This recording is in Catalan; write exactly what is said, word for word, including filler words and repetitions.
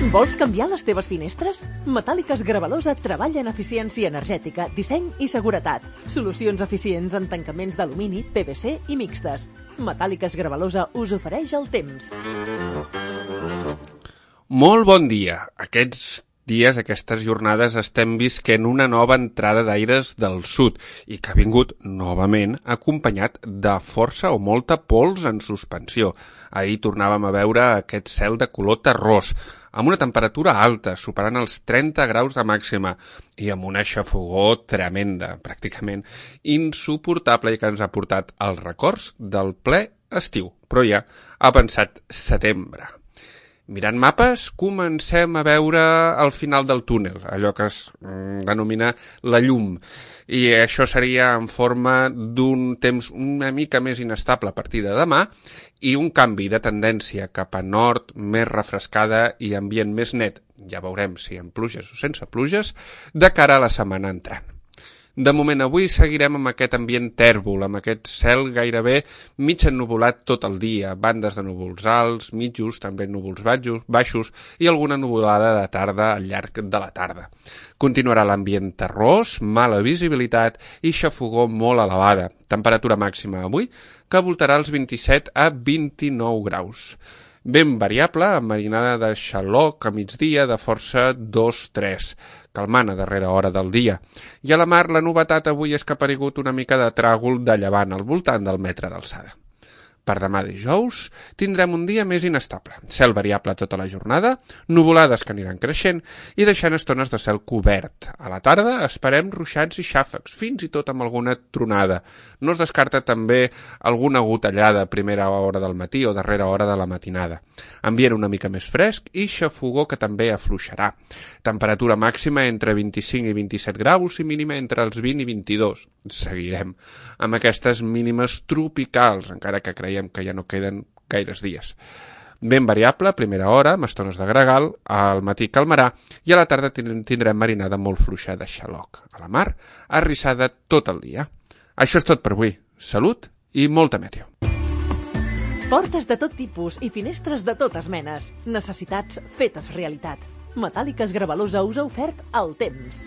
Vols canviar les teves finestres? Metàl·liques Gravalosa treballa en eficiència energètica, disseny i seguretat. Solucions eficients en tancaments d'alumini, P V C i mixtes. Metàl·liques Gravalosa us ofereix el temps. Molt bon dia. Aquests dies, aquestes jornades, estem visquent una nova entrada d'aires del sud i que ha vingut, novament, acompanyat de força o molta pols en suspensió. Ahir tornàvem a veure aquest cel de color terrós, amb una temperatura alta, superant els trenta graus de màxima, i amb una xafogor tremenda, pràcticament insuportable, i que ens ha portat als records del ple estiu. Però ja ha pensat setembre. Mirant mapes, comencem a veure el final del túnel, allò que es mm, denomina la llum. I això seria en forma d'un temps una mica més inestable a partir de demà i un canvi de tendència cap a nord, més refrescada i ambient més net, ja veurem si amb pluges o sense pluges, de cara a la setmana entrant. De moment avui seguirem amb aquest ambient tèrbol, amb aquest cel gairebé mig ennuvolat tot el dia, bandes de núvols alts, mitjos, també núvols baixos i alguna nuvolada de tarda al llarg de la tarda. Continuarà l'ambient terrós, mala visibilitat i xafogor molt elevada. Temperatura màxima avui que voltarà els vint-i-set a vint-i-nou graus. Ben variable, amb marinada de xaloc a migdia de força dos tres, calmant a darrera hora del dia. I a la mar la novetat avui és que ha aparegut una mica de tràgol de llevant al voltant del metre d'alçada. Per demà dijous tindrem un dia més inestable. Cel variable tota la jornada, nuvolades que aniran creixent i deixant estones de cel cobert. A la tarda esperem ruixats i xàfecs, fins i tot amb alguna tronada. No es descarta també alguna gotellada a primera hora del matí o darrera hora de la matinada. Ambient una mica més fresc i xafogor que també afluixarà. Temperatura màxima entre vint-i-cinc i vint-i-set graus i mínima entre els vint i vint-i-dos. Seguirem amb aquestes mínimes tropicals, encara que creiem que ja no queden gaires dies. Ben variable, a primera hora, amb estones de gregal, al matí calmarà i a la tarda tindrem marinada molt fluixa de xaloc. A la mar, arrissada tot el dia. Això és tot per avui. Salut i molta meteo. Portes de tot tipus i finestres de totes menes. Necessitats fetes realitat. Metàl·liques Gravalosa us ha ofert el temps.